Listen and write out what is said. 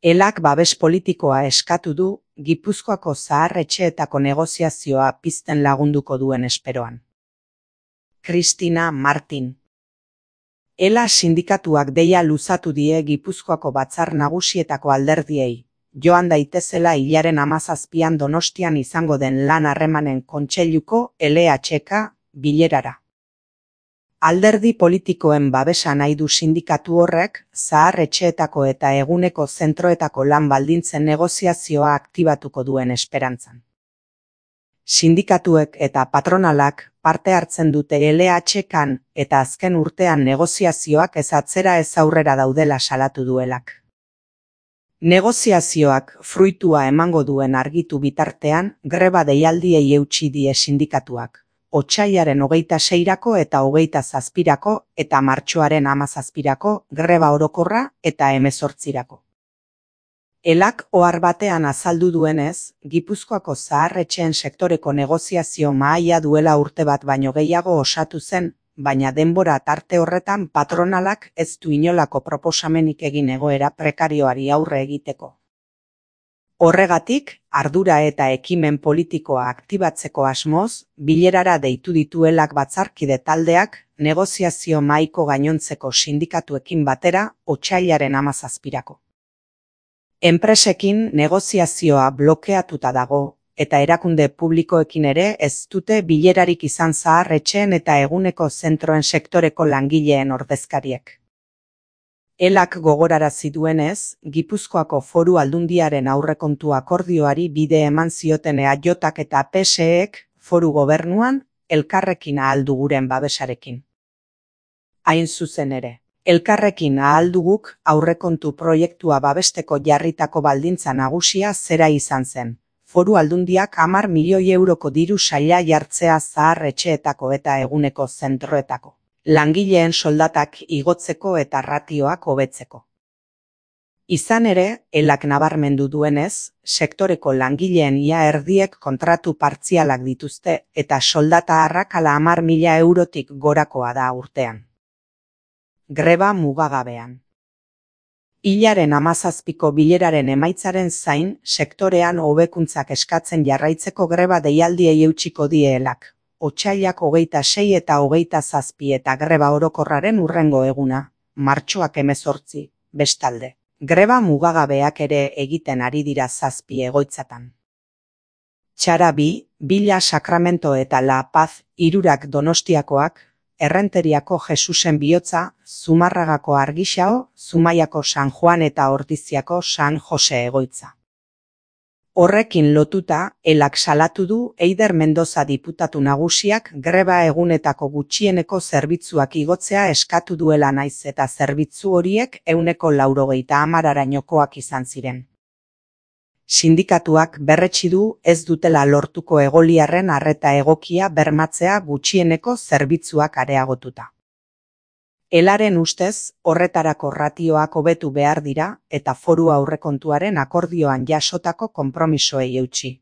Elak babes politikoa eskatu du Gipuzkoako zahar-etxeetako negoziazioa pizten lagunduko duen esperoan. Cristina Martin. Ela sindikatuak deia luzatu die Gipuzkoako batzar nagusietako alderdiei, joan daitezela hilaren 17an Donostian izango den lan harremanen kontseiluko LHK bilerara. Alderdi politikoen babesa nahi du sindikatu horrek, zahar-etxeetako eta eguneko zentroetako lan baldintzen negoziazioa aktibatuko duen esperantzan. Sindikatuek eta patronalak parte hartzen dute LHKan eta azken urtean negoziazioak ez atzera ez aurrera daudela salatu duelak. Negoziazioak fruitua emango duen argitu bitartean, greba deialdiei eutsi die sindikatuak. Otsailaren 26rako eta 27rako eta martxoaren 17rako greba orokorra eta 18rako. Elak ohar batean azaldu duenez, Gipuzkoako zahar-etxeen sektoreko negoziazio mahaia duela urte bat baino gehiago osatu zen, baina denbora tarte horretan patronalak ez du inolako proposamenik egin egoera prekarioari aurre egiteko. Horregatik, ardura eta ekimen politikoa aktibatzeko asmoz, bilerara deitu dituelak batzarkide taldeak, negoziazio mahaiko gainontzeko sindikatuekin batera, otsailaren 17rako. Enpresekin negoziazioa blokeatuta dago, eta erakunde publikoekin ere ez dute bilerarik izan zahar-etxeen eta eguneko zentroen sektoreko langileen ordezkariek. Elak gogorarazi duenez, Gipuzkoako Foru Aldundiaren aurrekontu akordioari bide eman zioten EAJak eta PSEek foru gobernuan elkarrekin ahalduguren babesarekin. Hain zuzen ere, elkarrekin ahalduguk aurrekontu proiektua babesteko jarritako baldintza nagusia zera izan zen. Foru Aldundiak 10 milioi euroko diru saila jartzea zahar-etxeetako eta eguneko zentroetako. Langileen soldatak igotzeko eta ratioak hobetzeko. Izan ere, elak nabarmendu duenez, sektoreko langileen ia erdiek kontratu partzialak dituzte eta soldata arrakala 10.000 eurotik gorakoa da urtean. Greba mugagabean. Hilaren 17ko bileraren emaitzaren zain, sektorean hobekuntzak eskatzen jarraitzeko greba deialdiei eutsiko die elak. Otsailak 26 eta 27 eta greba orokorraren hurrengo eguna, martxoak 18, bestalde. Greba mugagabeak ere egiten ari dira 7 egoitzatan. Txara 2, Bila Sakramento eta La Paz, 3 Donostiakoak, Errenteriako Jesusen Bihotza, Zumarragako Argixao, Zumaiako San Juan eta Ordiziako San Jose egoitza. Horrekin lotuta, elak salatu du Eider Mendoza diputatu nagusiak greba egunetako gutxieneko zerbitzuak igotzea eskatu duela naiz eta zerbitzu horiek 190arainokoak izan ziren. Sindikatuak berretsi du ez dutela lortuko egoliarren arreta egokia bermatzea gutxieneko zerbitzuak areagotuta. Elaren ustez, horretarako ratioak hobetu behar dira eta foru aurrekontuaren akordioan jasotako konpromisoei eutsi.